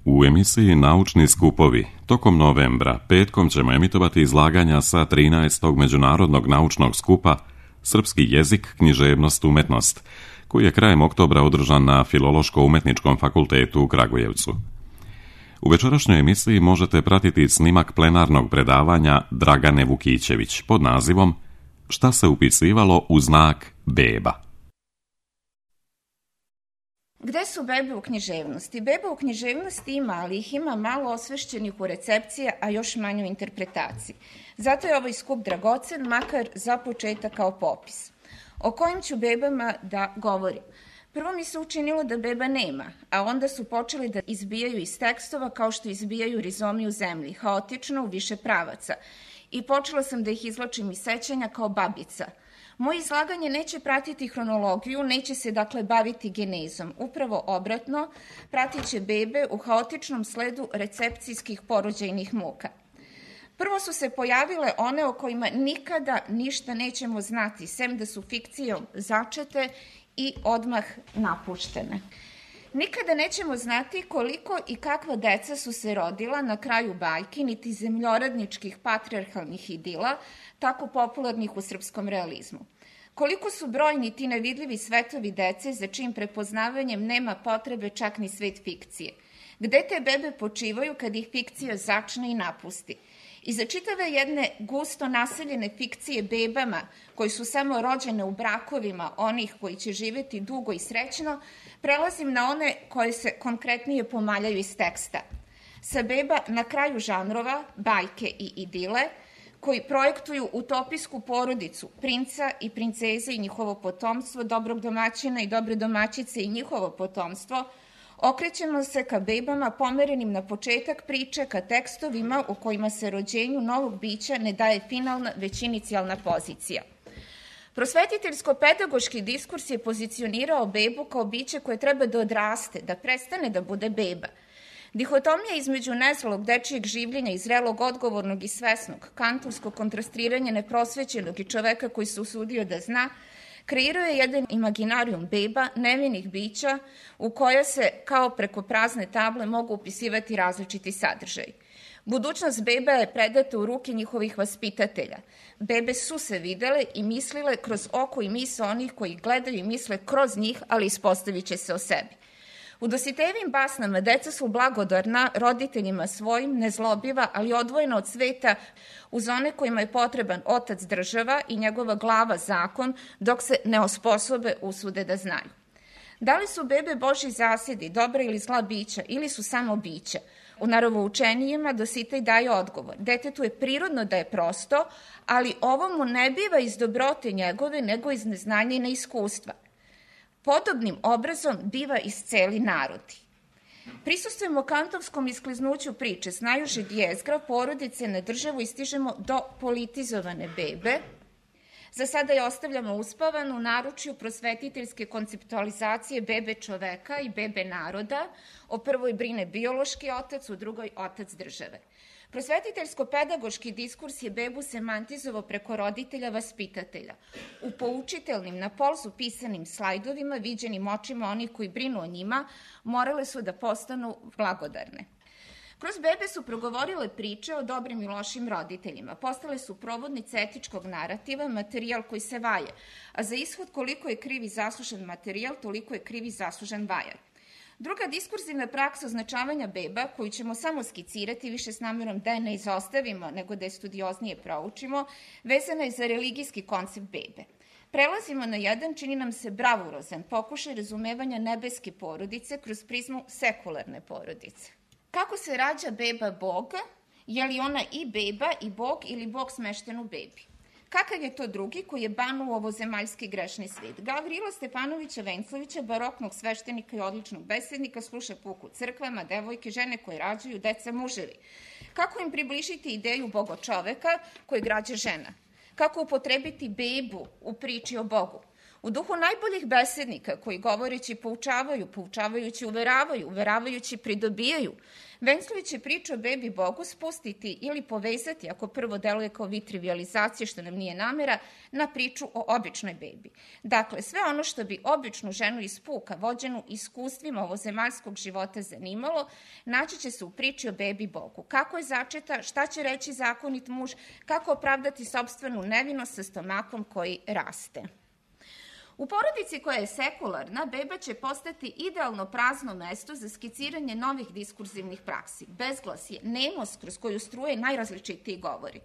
U emisiji Naučni skupovi tokom novembra petkom ćemo emitovati izlaganja sa 13. Međunarodnog naučnog skupa Srpski jezik, književnost, umetnost, koji je krajem oktobra održan na Filološko-umetničkom fakultetu u Kragujevcu. U večerašnjoj emisiji možete pratiti snimak plenarnog predavanja Dragane Vukićević pod nazivom Šta se upisivalo u znak beba. Gde su bebe u književnosti? Beba u književnosti ima, ali ih ima malo osvešćenih u recepcije, a još manje u interpretaciji. Zato je ovaj skup dragocen, makar za početak kao popis. O kojim ću bebama da govorim? Prvo mi se učinilo da beba nema, a onda su počeli da izbijaju iz tekstova kao što izbijaju rizomi u zemlji, haotično u više pravaca. I počela sam da ih izvlačim iz sećanja kao babica. Moje izlaganje neće pratiti hronologiju, neće se dakle baviti genezom. Upravo obratno, pratit će bebe u haotičnom sledu recepcijskih porođajnih muka. Prvo su se pojavile one o kojima nikada ništa nećemo znati, sem da su fikcijom začete i odmah napuštene. Nikada nećemo znati koliko i kakva deca su se rodila na kraju bajki, niti zemljoradničkih patrijarhalnih idila, tako popularnih u srpskom realizmu. Koliko su brojni ti nevidljivi svetovi dece za čijim prepoznavanjem nema potrebe čak ni svet fikcije. Gde te bebe počivaju kad ih fikcija začne i napusti? I za čitave jedne gusto naseljene fikcije bebama, koji su samo rođene u brakovima onih koji će živjeti dugo i srećno, prelazim na one koje se konkretnije pomaljaju iz teksta. Sa beba na kraju žanrova, bajke i idile, koji projektuju utopijsku porodicu, princa i princeze i njihovo potomstvo, dobrog domaćina i dobre domaćice i njihovo potomstvo, okrećemo se ka bebama pomerenim na početak priče, ka tekstovima u kojima se rođenju novog bića ne daje finalna, već inicijalna pozicija. Prosvetiteljsko-pedagoški diskurs je pozicionirao bebu kao biće koje treba da odraste, da prestane da bude beba. Dihotomija između nezrelog dečijeg življenja i zrelog, odgovornog i svesnog, kantovsko kontrastiranje neprosvećenog i čoveka koji se usudio da zna, kreirao je jedan imaginarijum beba, nevinih bića, u koja se, kao preko prazne table, mogu upisivati različiti sadržaj. Budućnost beba je predata u ruke njihovih vaspitatelja. Bebe su se videle i mislile kroz oko i misao onih koji gledaju i misle kroz njih, ali ispostavit će se o sebi. U Dositejevim basnama deca su blagodarna roditeljima svojim, nezlobiva, ali odvojena od sveta uz one kojima je potreban otac država i njegova glava zakon, dok se ne osposobe usude da znaju. Da li su bebe Božji zasedi, dobra ili zla bića, ili su samo bića? U naravoučenijima Dositej daje odgovor. Detetu je prirodno da je prosto, ali ovo mu ne biva iz dobrote njegove, nego iz neznanja i neiskustva. Podobnim obrazom biva isceli narodi. Prisustvujemo kantovskom iskliznuću priče, znajući dijezgra, porodice na državu i stižemo do politizovane bebe. Za sada je ostavljamo uspavanu u naručju prosvetiteljske konceptualizacije bebe čoveka i bebe naroda. O prvoj brine biološki otac, u drugoj otac države. Prosvetiteljsko-pedagoški diskurs je bebu semantizovao preko roditelja vaspitatelja. U poučitelnim, na polzu pisanim slajdovima, viđenim očima onih koji brinu o njima, morale su da postanu blagodarne. Kroz bebe su progovorile priče o dobrim i lošim roditeljima. Postale su provodnice etičkog narativa, materijal koji se vaje. A za ishod koliko je kriv i zaslužen materijal, toliko je kriv i zaslužen vajar. Druga diskurzivna praksa označavanja beba, koju ćemo samo skicirati, više s namjerom da je ne izostavimo, nego da je studioznije proučimo, vezana je za religijski koncept bebe. Prelazimo na jedan, čini nam se bravurozan, pokušaj razumevanja nebeske porodice kroz prizmu sekularne porodice. Kako se rađa beba Boga? Je li ona i beba i Bog ili Bog smešten u bebi? Kakav je to drugi koji je banuo ovozemaljski grešni svet? Gavrila Stepanovića Venclovića, baroknog sveštenika i odličnog besednika, sluša puku crkvama, devojke, žene koje rađaju, deca, muževi. Kako im približiti ideju Boga čoveka koje građa žena? Kako upotrebiti bebu u priči o Bogu? U duhu najboljih besednika koji govoreći poučavaju, poučavajući uveravaju, uveravajući pridobijaju, Venclović će priču o bebi Bogu spustiti ili povezati, ako prvo deluje kao vid trivializacije, što nam nije namera, na priču o običnoj bebi. Dakle, sve ono što bi običnu ženu iz puka, vođenu iskustvima ovozemaljskog života zanimalo, naći će se u priči o bebi Bogu. Kako je začeta, šta će reći zakonit muž, kako opravdati sopstvenu nevinost sa stomakom koji raste. U porodici koja je sekularna, beba će postati idealno prazno mesto za skiciranje novih diskurzivnih praksi. Bezglasje, nemost kroz koju struje najrazličitiji govori.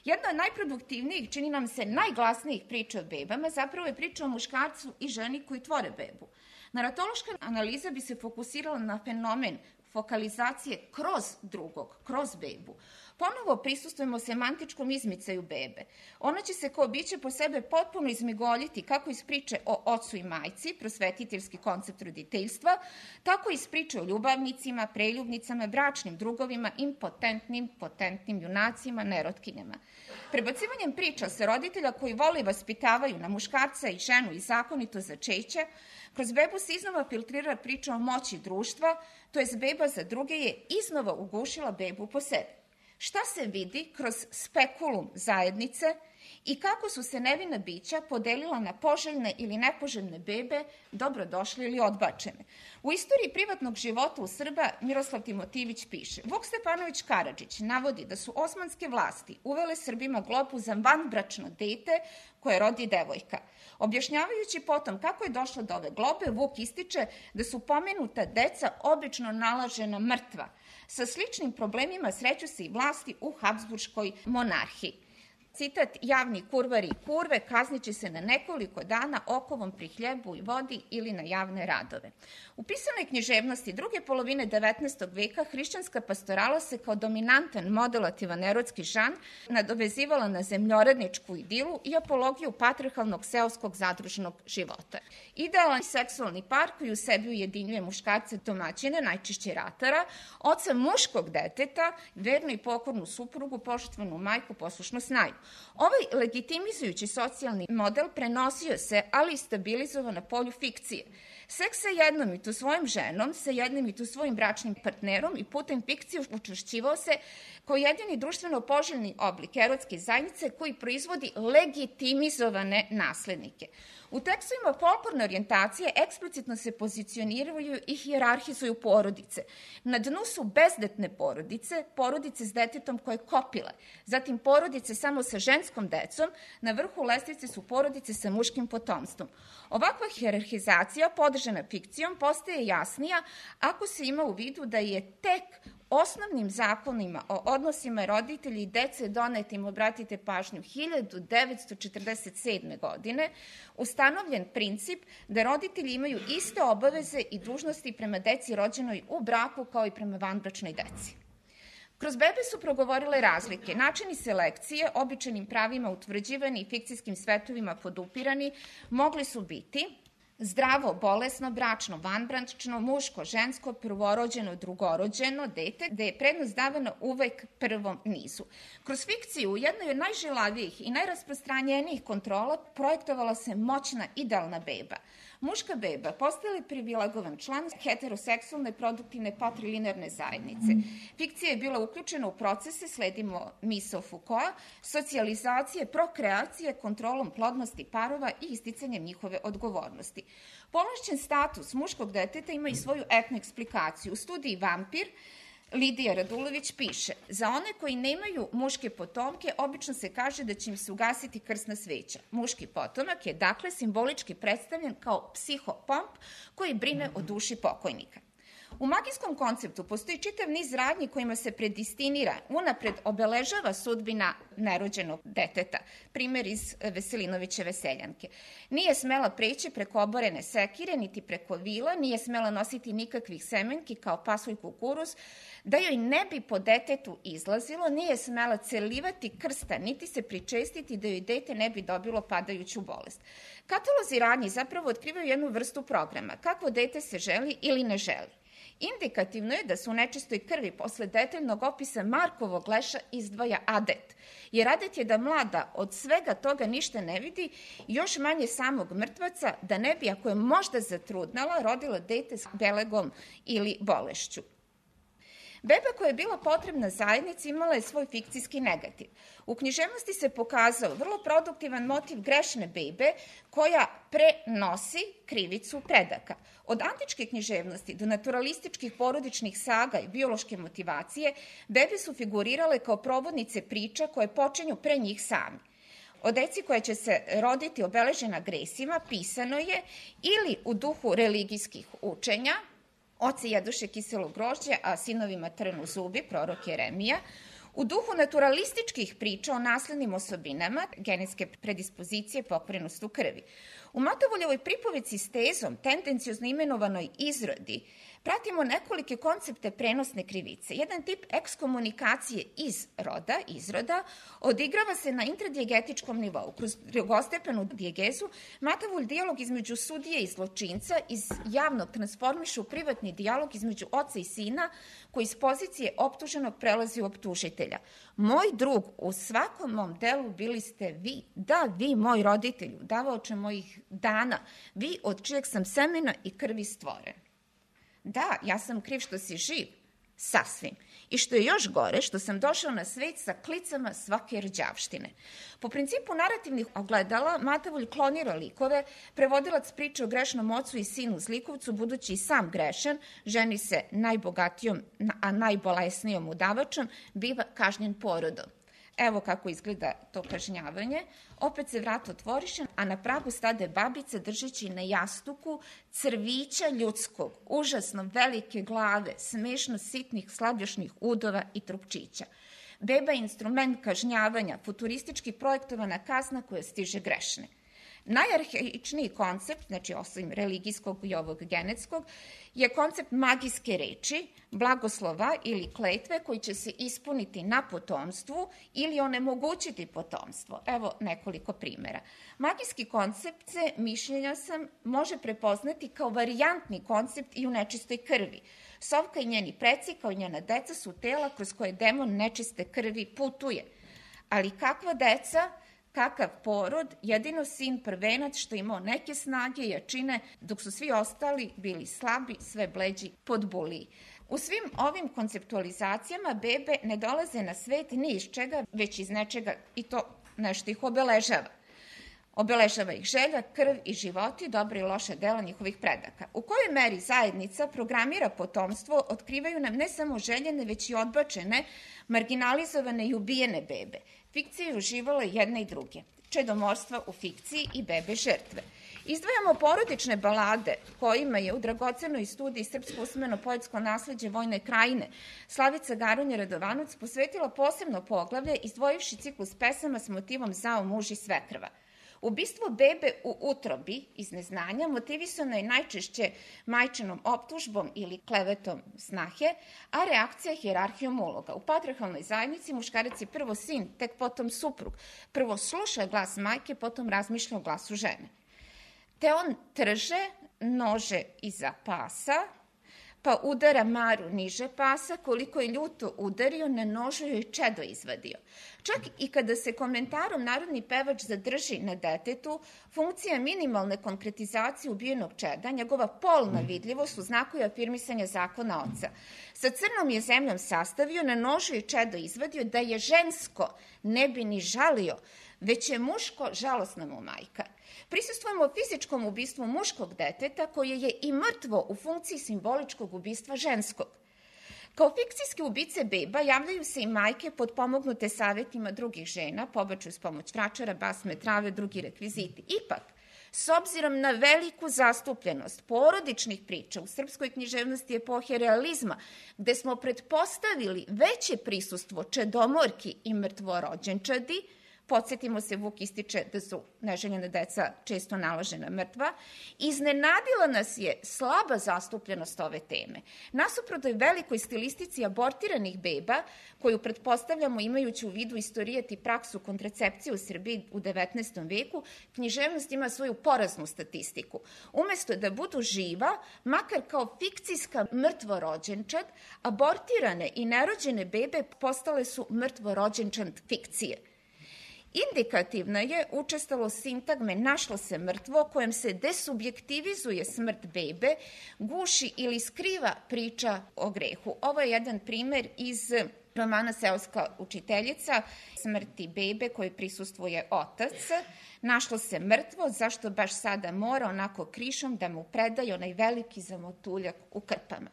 Jedna od najproduktivnijih, čini nam se najglasnijih priča o bebama, zapravo je priča o muškarcu i ženi koji tvore bebu. Naratološka analiza bi se fokusirala na fenomen fokalizacije kroz drugog, kroz bebu. Ponovo prisustujemo semantičkom izmicaju bebe. Ona će se kao biće po sebe potpuno izmigoljiti kako iz priče o ocu i majci, prosvetiteljski koncept roditeljstva, tako iz priče o ljubavnicima, preljubnicama, bračnim drugovima, potentnim junacima, nerotkinjama. Prebacivanjem priča sa roditelja koji vole i vaspitavaju na muškarca i ženu i zakonito začeće, kroz bebu se iznova filtrira priča o moći društva, to jest beba za druge je iznova ugušila bebu po sebi. Šta se vidi kroz spekulum zajednice i kako su se nevina bića podelila na poželjne ili nepoželjne bebe, dobrodošle ili odbačene. U istoriji privatnog života u Srba Miroslav Timotijević piše: Vuk Stefanović Karadžić navodi da su osmanske vlasti uvele Srbima globu za vanbračno dete koje rodi devojka. Objašnjavajući potom kako je došlo do ove globe, Vuk ističe da su pomenuta deca obično nalažena mrtva. Sa sličnim problemima sreću se i vlasti u Habsburškoj monarhiji. Citat: javni kurvari i kurve kazniće se na nekoliko dana okovom pri hljebu i vodi ili na javne radove. U pisanoj književnosti druge polovine 19. veka hrišćanska pastorala se kao dominantan modulativan erotski žanr nadovezivala na zemljoradničku idilu i apologiju patriarhalnog seoskog zadružnog života. Idealan seksualni par koji u sebi ujedinjuje muškarce domaćine, najčešće ratara, oca muškog deteta, vernu i pokornu suprugu, poštovanu majku, poslušnu snaju. Ovaj legitimizujući socijalni model prenosio se, ali i stabilizovao na polju fikcije. Seks sa jednom i to svojim ženom, sa jednim i to svojim bračnim partnerom i putem fikcije učvršćivao se kao jedini društveno poželjni oblik erotske zajednice koji proizvodi legitimizovane naslednike. U tekstovima folklorne orijentacije eksplicitno se pozicioniraju i hijerarhizuju porodice. Na dnu su bezdetne porodice, porodice s detetom koje kopile, zatim porodice samo sa ženskom decom, na vrhu lestvice su porodice sa muškim potomstvom. Ovakva hijerarhizacija, podržana fikcijom, postaje jasnija ako se ima u vidu da je tek osnovnim zakonima o odnosima roditelji i dece donetim, obratite pažnju, 1947. godine, ustanovljen princip da roditelji imaju iste obaveze i dužnosti prema deci rođenoj u braku kao i prema vanbračnoj deci. Kroz bebe su progovorile razlike, načini selekcije, običajnim pravima utvrđivani i fikcijskim svetovima podupirani, mogli su biti zdravo, bolesno, bračno, vanbračno, muško, žensko, prvorođeno, drugorođeno dete, gde je prednost davana uvek prvom nizu. Kroz fikciju, u jednoj od najžilavijih i najrasprostranjenijih kontrola projektovala se moćna idealna beba. Muška beba postala je privilegovan član heteroseksualne produktivne patrilinearne zajednice. Fikcija je bila uključena u procese, sledimo misao Foucaulta, socijalizacije, prokreacije, kontrolom plodnosti parova i isticanjem njihove odgovornosti. Povlašćen status muškog deteta ima i svoju etnu eksplikaciju. U studiji Vampir Lidija Radulović piše: za one koji nemaju muške potomke, obično se kaže da će im se ugasiti krsna sveća. Muški potomak je dakle simbolički predstavljen kao psihopomp koji brine o duši pokojnika. U magijskom konceptu postoji čitav niz radnji kojima se predistinira, unapred obeležava sudbina nerođenog deteta. Primer iz Veselinovićeve Seljanke. Nije smela preći preko oborene sekire, niti preko vila, nije smela nositi nikakvih semenki kao pasulj kukuruz, da joj ne bi po detetu izlazilo, nije smela celivati krsta, niti se pričestiti da joj dete ne bi dobilo padajuću bolest. Katalozi radnji zapravo otkrivaju jednu vrstu programa, kako dete se želi ili ne želi. Indikativno je da se u nečistoj krvi posle detaljnog opisa Markovog leša izdvaja adet, jer adet je da mlada od svega toga ništa ne vidi, još manje samog mrtvaca, da ne bi, ako je možda zatrudnala, rodila dete s belegom ili bolešću. Beba koja je bila potrebna zajednici imala je svoj fikcijski negativ. U književnosti se pokazao vrlo produktivan motiv grešne bebe koja prenosi krivicu predaka. Od antičke književnosti do naturalističkih porodičnih saga i biološke motivacije, bebe su figurirale kao provodnice priča koje počinju pre njih sami. O deci koja će se roditi obeležena gresima pisano je ili u duhu religijskih učenja, oci jeduše kiselo grožđe, a sinovima trnu zubi, prorok Jeremija, u duhu naturalističkih priča o naslednim osobinama, genetske predispozicije, pokvarenost u krvi. U Matovoljevoj pripovici s tezom, tendenciozno imenovanoj izrodi, pratimo nekolike koncepte prenosne krivice. Jedan tip ekskomunikacije izroda, odigrava se na intradijegetičkom nivou. Kroz drugostepenu dijegezu Matovolj dijalog između sudije i zločinca iz javnog transformiše u privatni dijalog između oca i sina, koji iz pozicije optuženog prelazi u optužitelja. Moj drug, u svakom mom delu bili ste vi, da, vi, moj roditelju, davaoče mojih dana, vi od čijeg sam semena i krvi stvoren. Da, ja sam kriv što si živ, sasvim. I što je još gore, što sam došao na svet sa klicama svake rđavštine. Po principu narativnih ogledala, Matovolj klonira likove, prevodilac priče o grešnom ocu i sinu zlikovcu, budući i sam grešan, ženi se najbogatijom, a najbolesnijom udavačom, biva kažnjen porodom. Evo kako izgleda to kažnjavanje. Opet se vrat otvoriše, a na pragu stade babica držeći na jastuku crvića ljudskog, užasno velike glave, smešno sitnih slabljošnih udova i trupčića. Beba je instrument kažnjavanja, futuristički projektovana kazna koja stiže grešne. Najarhaičniji koncept, znači osim religijskog i ovog genetskog, je koncept magijske reči, blagoslova ili kletve koji će se ispuniti na potomstvu ili onemogućiti potomstvo. Evo nekoliko primjera. Magijski koncept se, mišljenja sam, može prepoznati kao varijantni koncept i u nečistoj krvi. Sovka i njeni preci, kao i njena deca, su tela kroz koje demon nečiste krvi putuje. Ali kakva deca, kakav porod, jedino sin prvenac što imao neke snage i jačine, dok su svi ostali bili slabi, sve bleđi, podbuliji. U svim ovim konceptualizacijama bebe ne dolaze na svet ni iz čega, već iz nečega i to nešto ih obeležava. Obeležava ih želja, krv i životi, dobre i loše dela njihovih predaka. U kojoj meri zajednica programira potomstvo, otkrivaju nam ne samo željene, već i odbačene, marginalizovane i ubijene bebe. Fikcija je uživala jedne i druge. Čedomorstva u fikciji i bebe žrtve. Izdvajamo porodične balade kojima je u dragocenoj studiji Srpsko usmeno poetsko nasleđe Vojne krajine Slavica Garunja Radovanović posvetila posebno poglavlje izdvojivši ciklus pesama s motivom Zao muž i svekrva. Ubistvo bebe u utrobi iz neznanja motivisano je najčešće majčinom optužbom ili klevetom snahe, a reakcija hijerarhijom uloga. U patrijarhalnoj zajednici muškarac je prvo sin, tek potom suprug. Prvo sluša glas majke, potom razmišlja o glasu žene. Te on trže nože iza pasa, pa udara Maru niže pasa, koliko je ljuto udario, na nožu joj čedo izvadio. Čak i kada se komentarom narodni pevač zadrži na detetu, funkcija minimalne konkretizacije ubijenog čeda, njegova polna vidljivost u znaku je afirmisanja zakona oca. Sa crnom je zemljom sastavio, na nožu je čedo izvadio, da je žensko, ne bi ni žalio, već je muško, žalosna mu majka. Prisustvujemo fizičkom ubistvu muškog deteta koje je i mrtvo u funkciji simboličkog ubistva ženskog. Kao fikcijske ubice beba javljaju se i majke potpomognute savjetima drugih žena, pobačaju s pomoć vračara, basme, trave, drugi rekviziti. Ipak, s obzirom na veliku zastupljenost porodičnih priča u srpskoj književnosti epohe realizma, gde smo pretpostavili veće prisustvo čedomorki i mrtvorođenčadi, Podsjetimo se, Vuk ističe da su neželjena deca često nalažena mrtva. Iznenadila nas je slaba zastupljenost ove teme. Nasuprot velikoj stilistici abortiranih beba, koju pretpostavljamo imajući u vidu istorijat i praksu kontracepcije u Srbiji u 19. veku, književnost ima svoju poraznu statistiku. Umesto da budu živa, makar kao fikcijska mrtvorođenčad, abortirane i nerođene bebe postale su mrtvorođenčad fikcije. Indikativna je učestalost sintagme našlo se mrtvo, kojem se desubjektivizuje smrt bebe, guši ili skriva priča o grehu. Ovo je jedan primer iz romana Seoska učiteljica, smrti bebe koje prisustvuje otac. Našlo se mrtvo, zašto baš sada mora onako krišom da mu predaje onaj veliki zamotuljak u krpama.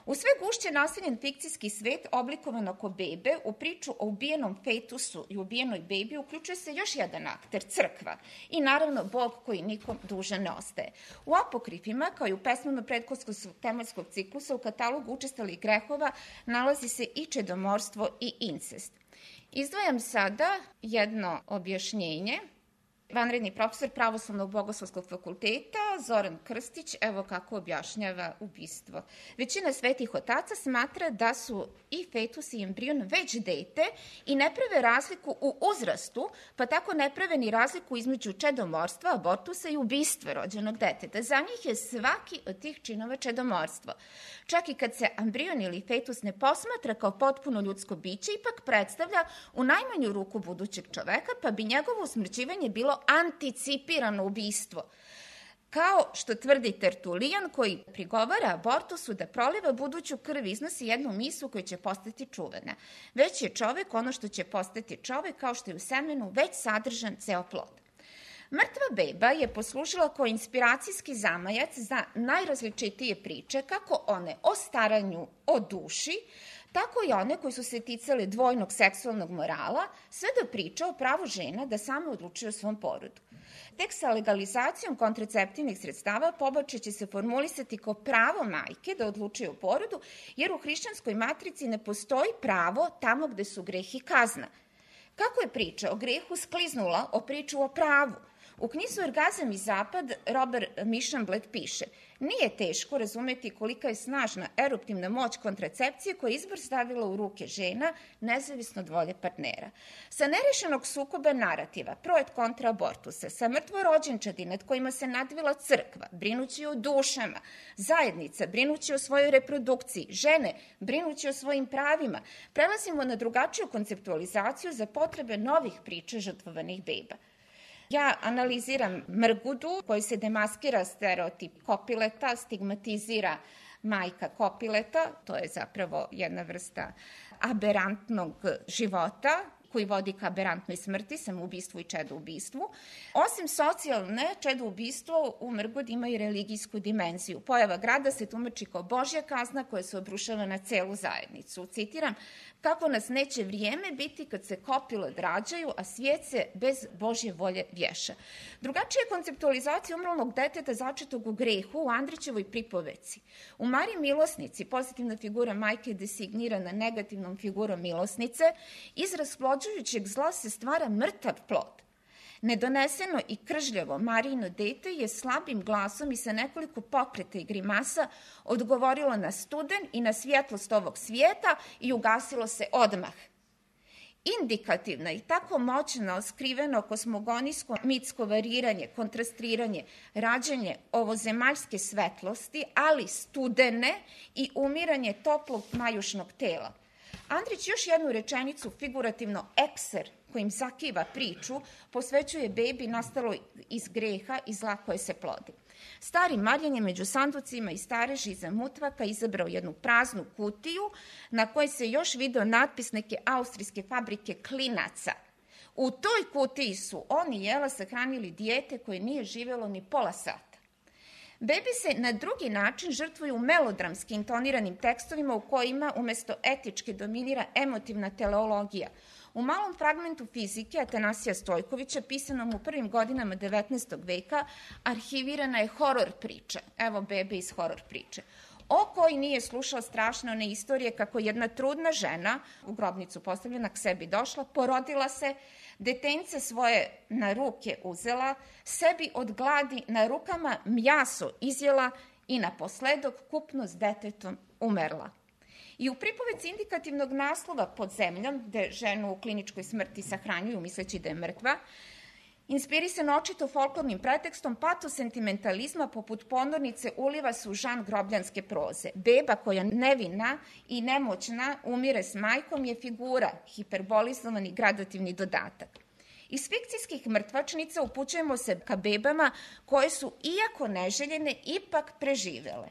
U sve gušće naseljen fikcijski svet oblikovan oko bebe, u priču o ubijenom fetusu i ubijenoj bebi uključuje se još jedan akter, crkva, i naravno Bog koji nikom dužan ne ostaje. U apokrifima, kao i u pesmama prethodskog tematskog ciklusa, u katalogu učestalih grehova nalazi se i čedomorstvo i incest. Izdvajam sada jedno objašnjenje. Vanredni profesor Pravoslavnog bogoslovskog fakulteta Zoran Krstić, evo kako objašnjava ubistvo. Većina svetih otaca smatra da su i fetus i embrion već dete i ne prave razliku u uzrastu, pa tako ne prave ni razliku između čedomorstva, abortusa i ubistva rođenog deteta. Za njih je svaki od tih činova čedomorstvo. Čak i kad se embrion ili fetus ne posmatra kao potpuno ljudsko biće, ipak predstavlja u najmanju ruku budućeg čoveka, pa bi njegovo usmrćivanje bilo anticipirano ubistvo. Kao što tvrdi Tertulijan, koji prigovara abortusu da proliva buduću krv, iznosi jednu misu koja će postati čuvena. Već je čovek ono što će postati čovek, kao što je u semenu već sadržan ceo plod. Mrtva beba je poslužila kao inspiracijski zamajac za najrazličitije priče, kako one o staranju o duši, tako i one koji su se ticale dvojnog seksualnog morala, sve do priča o pravu žena da same odlučuju o svom porodu. Tek sa legalizacijom kontraceptivnih sredstava pobačaj će se formulisati kao pravo majke da odlučuje o porodu, jer u hrišćanskoj matrici ne postoji pravo tamo gde su greh i kazna. Kako je priča o grehu skliznula o priču o pravu? U knjizi Orgazam i zapad Robert Mišamblet piše: nije teško razumeti kolika je snažna eruptivna moć kontracepcije koja je izbor stavila u ruke žena, nezavisno od volje partnera. Sa nerešenog sukoba narativa, pro et kontra abortusa, sa mrtvorođenčadi nad kojima se nadvila crkva, brinući o dušama, zajednica, brinući o svojoj reprodukciji, žene, brinući o svojim pravima, prelazimo na drugačiju konceptualizaciju za potrebe novih priča žrtvovanih beba. Ja analiziram Mrgudu, koji se demaskira stereotip kopileta, stigmatizira majka kopileta, to je zapravo jedna vrsta aberantnog života, koji vodi ka aberantnoj smrti, samoubistvu i čedoubistvu. Osim socijalne, čedoubistvo u Mrgudi ima i religijsku dimenziju. Pojava grada se tumači kao Božja kazna koja se obrušava na celu zajednicu. Citiram: kako nas neće vrijeme biti kad se kopile rađaju, a svijet se bez Božje volje vješa. Drugačija konceptualizacija umrlog deteta začetog u grehu u Andrićevoj pripoveci. U Mariji Milosnici pozitivna figura majke je designirana negativnom figurom milosnice, izraz plođujućeg zla se stvara mrtav plod. Nedoneseno i kržljavo Marijino dete je slabim glasom i sa nekoliko pokreta i grimasa odgovorilo na studen i na svjetlost ovog svijeta i ugasilo se odmah. Indikativna i tako moćno skriveno kosmogonijsko mitsko variranje, kontrastiranje, rađanje ovozemaljske svetlosti, ali studene i umiranje toplog majušnog tela. Andrić još jednu rečenicu, figurativno ekser, kojim zakiva priču, posvećuje bebi nastalo iz greha i zla koje se plodi. Stari Marjan je među sanducima i stareži iza mutvaka izabrao jednu praznu kutiju na kojoj se još video natpis neke austrijske fabrike klinaca. U toj kutiji su on i Jela sahranili dijete koje nije živjelo ni pola sata. Bebi se na drugi način žrtvuju u melodramski intoniranim tekstovima u kojima umesto etičke dominira emotivna teleologija. U malom fragmentu fizike Atanasija Stojkovića, pisanom u prvim godinama 19. veka, arhivirana je horor priča. Evo bebe iz horor priče. o koji nije slušao strašne one istorije kako jedna trudna žena, u grobnicu postavljena, k sebi došla, porodila se, detence svoje na ruke uzela, sebi od gladi na rukama mjaso izjela i naposledok kupno s detetom umrla. I u pripovedci indikativnog naslova Pod zemljom, gde ženu u kliničkoj smrti sahranjuju misleći da je mrtva, inspirisan očito folklornim pretekstom, patos sentimentalizma poput ponornice uliva se u žan grobljanske proze. Beba koja nevina i nemoćna umire s majkom je figura, hiperbolizovani gradativni dodatak. Iz fikcijskih mrtvačnica upućujemo se ka bebama koje su, iako neželjene, ipak preživele.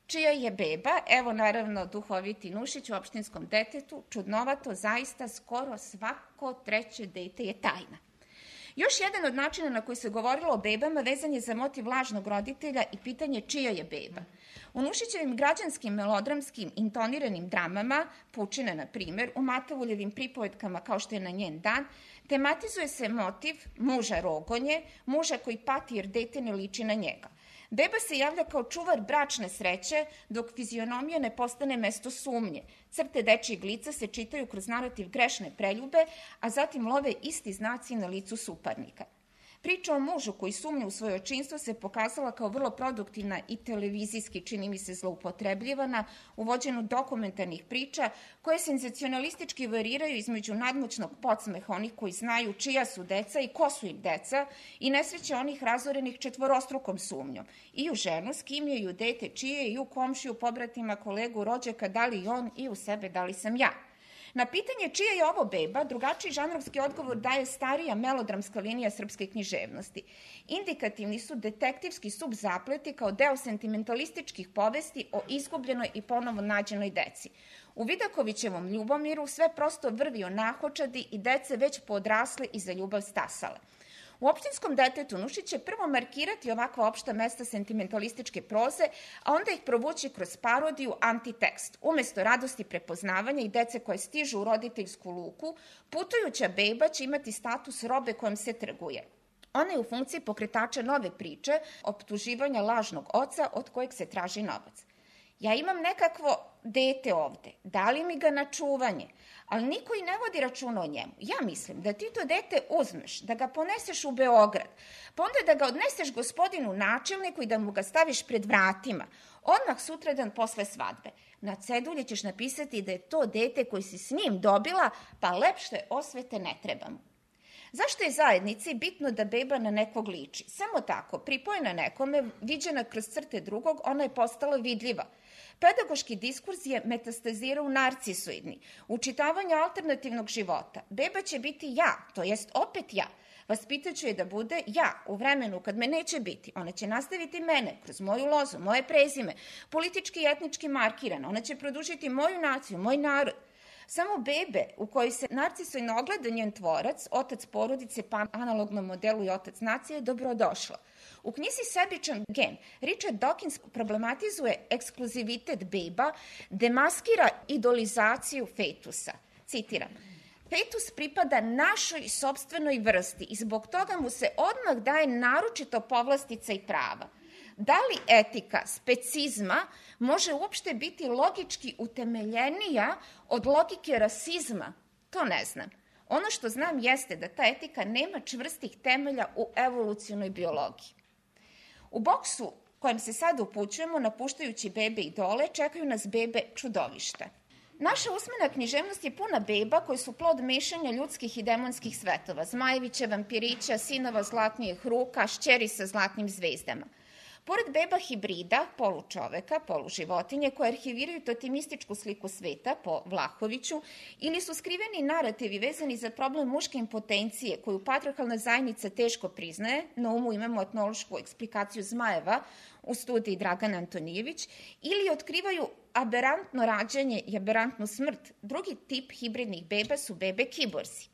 Čija je beba? Evo naravno duhoviti Nušić u Opštinskom detetu, čudnovato, zaista skoro svako treće dete je tajna. Još jedan od načina na koji se govorilo o bebama vezan je za motiv lažnog roditelja i pitanje čija je beba. U Nušićevim građanskim melodramskim intoniranim dramama, Pučina na primjer, u Matavuljevim pripovetkama kao što je Na njen dan, tematizuje se motiv muža rogonje, muža koji pati jer dete ne liči na njega. Beba se javlja kao čuvar bračne sreće, dok fizionomija ne postane mesto sumnje. Crte dečijeg lica se čitaju kroz narativ grešne preljube, a zatim love isti znaci na licu suparnika. Priča o mužu koji sumnja u svoje očinstvo se pokazala kao vrlo produktivna i televizijski, čini mi se, zloupotrebljivana, u vođenju dokumentarnih priča koje senzacionalistički variraju između nadmoćnog podsmeha onih koji znaju čija su deca i ko su im deca i nesreće onih razorenih četvorostrukom sumnjom. I u ženu, s kim je, i u dete čije, i u komšiju, pobratima, kolegu, rođaka, da li on, i u sebe, da li sam ja. Na pitanje čija je ovo beba, drugačiji žanrovski odgovor daje starija melodramska linija srpske književnosti. Indikativni su detektivski subzapleti kao deo sentimentalističkih povesti o izgubljenoj i ponovo nađenoj deci. U Vidakovićevom Ljubomiru sve prosto vrvi o nahočadi i dece već poodrasle i za ljubav stasale. U Opštinskom detetu Nušić će prvo markirati ovakva opšta mesta sentimentalističke proze, a onda ih provući kroz parodiju, antitekst. Umesto radosti prepoznavanja i dece koje stižu u roditeljsku luku, putujuća beba će imati status robe kojom se trguje. Ona je u funkciji pokretača nove priče, optuživanja lažnog oca od kojeg se traži novac. Ja imam nekakvo dete ovde, dali mi ga na čuvanje, ali niko i ne vodi računa o njemu. Ja mislim da ti to dete uzmeš, da ga poneseš u Beograd, pa onda da ga odneseš gospodinu načelniku i da mu ga staviš pred vratima, odmah sutradan posle svadbe. Na cedulji ćeš napisati da je to dete koji si s njim dobila, pa lepše osvete ne treba mu. Zašto je zajednici bitno da beba na nekog liči? Samo tako, pripojena nekome, viđena kroz crte drugog, ona je postala vidljiva. Pedagoški diskurs je metastazirao narcisoidni. U čitavanju alternativnog života beba će biti ja, to jest opet ja. Vaspitaću je da bude ja u vremenu kad me neće biti. Ona će nastaviti mene kroz moju lozu, moje prezime, politički i etnički markirana. Ona će produžiti moju naciju, moj narod. Samo bebe u kojoj se narcisoidno ogleda njen tvorac, otac porodice pa analognom modelu i otac nacije, je dobrodošla. U knjizi Sebičan gen Richard Dawkins problematizuje ekskluzivitet beba, demaskira idolizaciju fetusa. Citiram: fetus pripada našoj sopstvenoj vrsti i zbog toga mu se odmah daje naročito povlastica i prava. Da li etika specizma može uopšte biti logički utemeljenija od logike rasizma? To ne znam. Ono što znam jeste da ta etika nema čvrstih temelja u evolucionoj biologiji. U boksu kojem se sad upućujemo, napuštajući bebe idole, čekaju nas bebe čudovišta. Naša usmena književnost je puna beba koje su plod mešanja ljudskih i demonskih svetova, Zmajevića, vampirića, sinova zlatnijih ruka, šćeri sa zlatnim zvezdama. Pored beba hibrida, polučoveka, poluživotinje, koje arhiviraju totemističku sliku sveta po Vlahoviću, ili su skriveni narativi vezani za problem muške impotencije koju patriarhalna zajednica teško priznaje, na umu imamo etnološku eksplikaciju Zmajeva u studiji Dragana Antonijević, ili otkrivaju aberantno rađanje i aberantnu smrt. Drugi tip hibridnih beba su bebe kiborsi.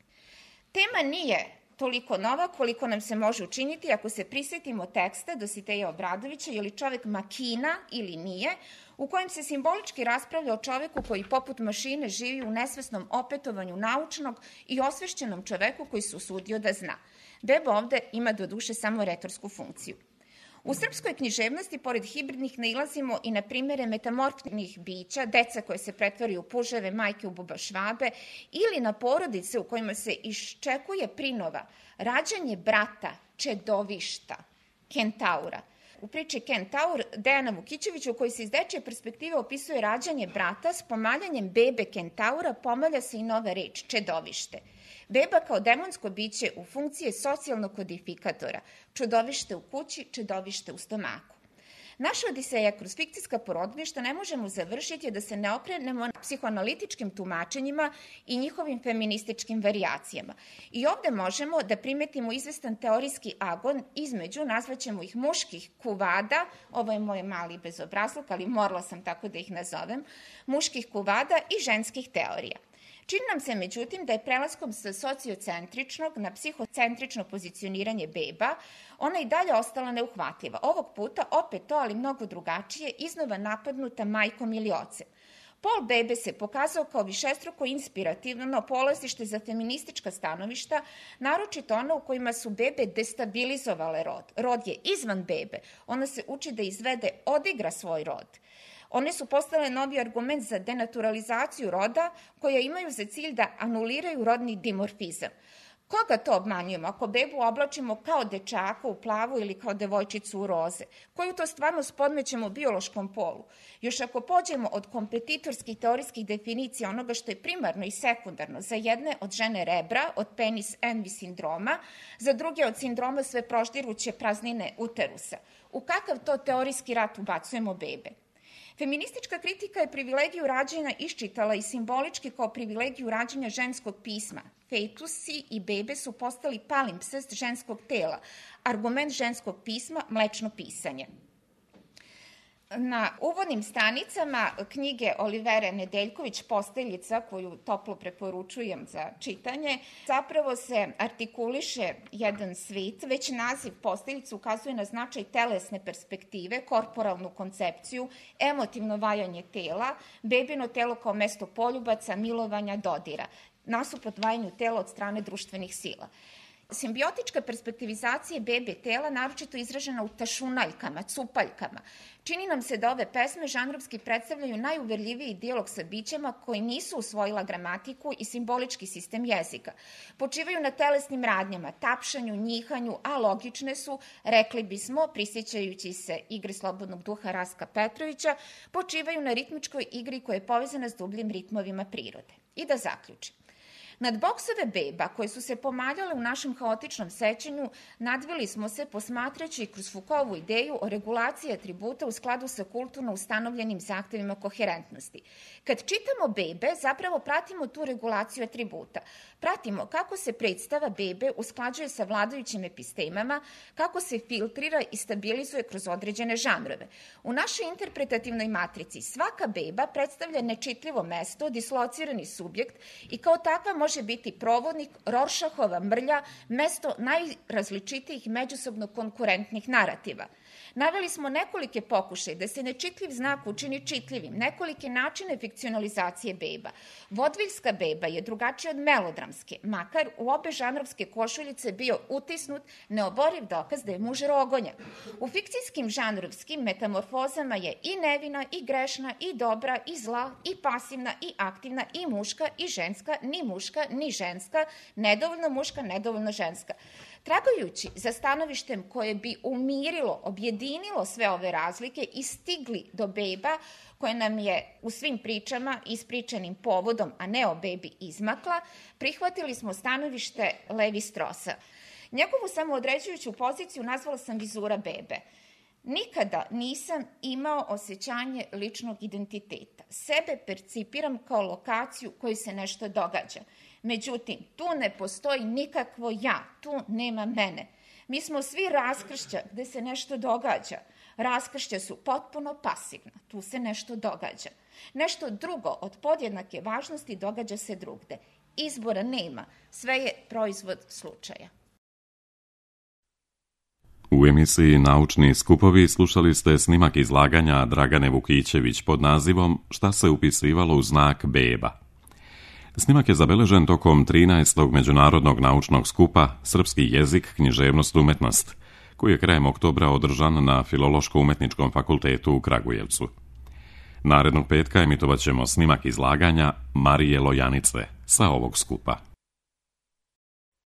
Tema nije toliko nova koliko nam se može učiniti ako se prisetimo teksta Dositeja Obradovića Je li čovek makina ili nije, u kojem se simbolički raspravlja o čoveku koji poput mašine živi u nesvesnom opetovanju naučnog i osvešćenom čoveku koji se usudio da zna. Beba ovde ima do duše samo retorsku funkciju. U srpskoj književnosti, pored hibridnih, nailazimo i na primjere metamorfnih bića, deca koje se pretvaraju u puževe, majke u bubašvabe, ili na porodice u kojima se iščekuje prinova, rađanje brata, čedovišta, kentaura. U priči Kentaur Dejana Vukićevića, u kojoj se iz dečje perspektive opisuje rađanje brata, s pomaljanjem bebe kentaura pomalja se i nova reč, čedovište. Beba kao demonsko biće u funkciji socijalnog kodifikatora, čudovište u kući, čedovište u stomaku. Naša odiseja kroz fikcijska porodilišta ne možemo završiti da se ne okrenemo psihoanalitičkim tumačenjima i njihovim feminističkim varijacijama. I ovde možemo da primetimo izvestan teorijski agon između, nazvaćemo ih muških kuvada, ovo je moj mali bezobrazluk, ali morala sam tako da ih nazovem, muških kuvada i ženskih teorija. Čini nam se, međutim, da je prelaskom sa sociocentričnog na psihocentrično pozicioniranje beba ona i dalje ostala neuhvatljiva. Ovog puta, opet to, ali mnogo drugačije, iznova napadnuta majkom ili ocem. Pol bebe se pokazao kao višestruko inspirativno polazište za feministička stanovišta, naročito ona u kojima su bebe destabilizovale rod. Rod je izvan bebe, ona se uči da izvede, odigra svoj rod. One su postale novi argument za denaturalizaciju roda, koja imaju za cilj da anuliraju rodni dimorfizam. Koga to obmanjujemo ako bebu oblačimo kao dečaka u plavu ili kao devojčicu u roze? Koju to stvarnost podmećemo biološkom polu? Još ako pođemo od kompetitorskih teorijskih definicija onoga što je primarno i sekundarno, za jedne od žene rebra, od penis envy sindroma, za druge od sindroma sve proštiruće praznine uterusa. U kakav to teorijski rat ubacujemo bebe? Feministička kritika je privilegiju rađanja iščitala i simbolički kao privilegiju rađanja ženskog pisma. Fetusi i bebe su postali palimpsest ženskog tela, argument ženskog pisma, mlečno pisanje. Na uvodnim stranicama knjige Olivere Nedeljković Posteljica, koju toplo preporučujem za čitanje, zapravo se artikuliše jedan svet. Već naziv Posteljica ukazuje na značaj telesne perspektive, korporalnu koncepciju, emotivno valjanje tela, bebino telo kao mesto poljubaca, milovanja, dodira, nasuprot vajanju tela od strane društvenih sila. Simbiotička perspektivizacija bebe tela, naročito izražena u tašunaljkama, cupaljkama. Čini nam se da ove pesme žanrovski predstavljaju najuverljiviji dijalog sa bićima koji nisu usvojila gramatiku i simbolički sistem jezika. Počivaju na telesnim radnjama, tapšanju, njihanju, a logične su, rekli bismo, prisjećajući se igre slobodnog duha Rastka Petrovića, počivaju na ritmičkoj igri koja je povezana s dubljim ritmovima prirode. I da zaključim. Nad boksove beba koje su se pomaljale u našem haotičnom sećanju nadvili smo se posmatrajući kroz Foucaultovu ideju o regulaciji atributa u skladu sa kulturno ustanovljenim zahtevima koherentnosti. Kad čitamo bebe, zapravo pratimo tu regulaciju atributa. Pratimo kako se predstava bebe usklađuje sa vladajućim epistemama, kako se filtrira i stabilizuje kroz određene žanrove. U našoj interpretativnoj matrici svaka beba predstavlja nečitljivo mesto, dislocirani subjekt i kao takva može biti provodnik Rorschachova mrlja, mesto najrazličitijih međusobno konkurentnih narativa. Naveli smo nekolike pokušaje da se nečitljiv znak učini čitljivim, nekolike načine fikcionalizacije beba. Vodviljska beba je drugačija od melodramske, makar u obe žanrovske košuljice bio utisnut neoboriv dokaz da je muž rogonja. U fikcijskim žanrovskim metamorfozama je i nevina, i grešna, i dobra, i zla, i pasivna, i aktivna, i muška, i ženska, ni muška, ni ženska, nedovoljno muška, nedovoljno ženska. Tragajući za stanovištem koje bi umirilo, objedinilo sve ove razlike i stigli do beba koje nam je u svim pričama ispričanim povodom, a ne o bebi izmakla, prihvatili smo stanovište Levi Strosa. Njegovu samoodređujuću poziciju nazvala sam vizura bebe. Nikada nisam imao osjećanje ličnog identiteta. Sebe percipiram kao lokaciju kojoj se nešto događa. Međutim, tu ne postoji nikakvo ja, tu nema mene. Mi smo svi raskršća gde se nešto događa. Raskršća su potpuno pasivna, tu se nešto događa. Nešto drugo od podjednake važnosti događa se drugde. Izbora nema, sve je proizvod slučaja. U emisiji Naučni skupovi slušali ste snimak izlaganja Dragane Vukićević pod nazivom Šta se upisivalo u znak beba. Snimak je zabeležen tokom 13. Međunarodnog naučnog skupa Srpski jezik, književnost, umetnost, koji je krajem oktobra održan na Filološko-umetničkom fakultetu u Kragujevcu. Narednog petka emitovat ćemo snimak izlaganja Marije Lojanice sa ovog skupa.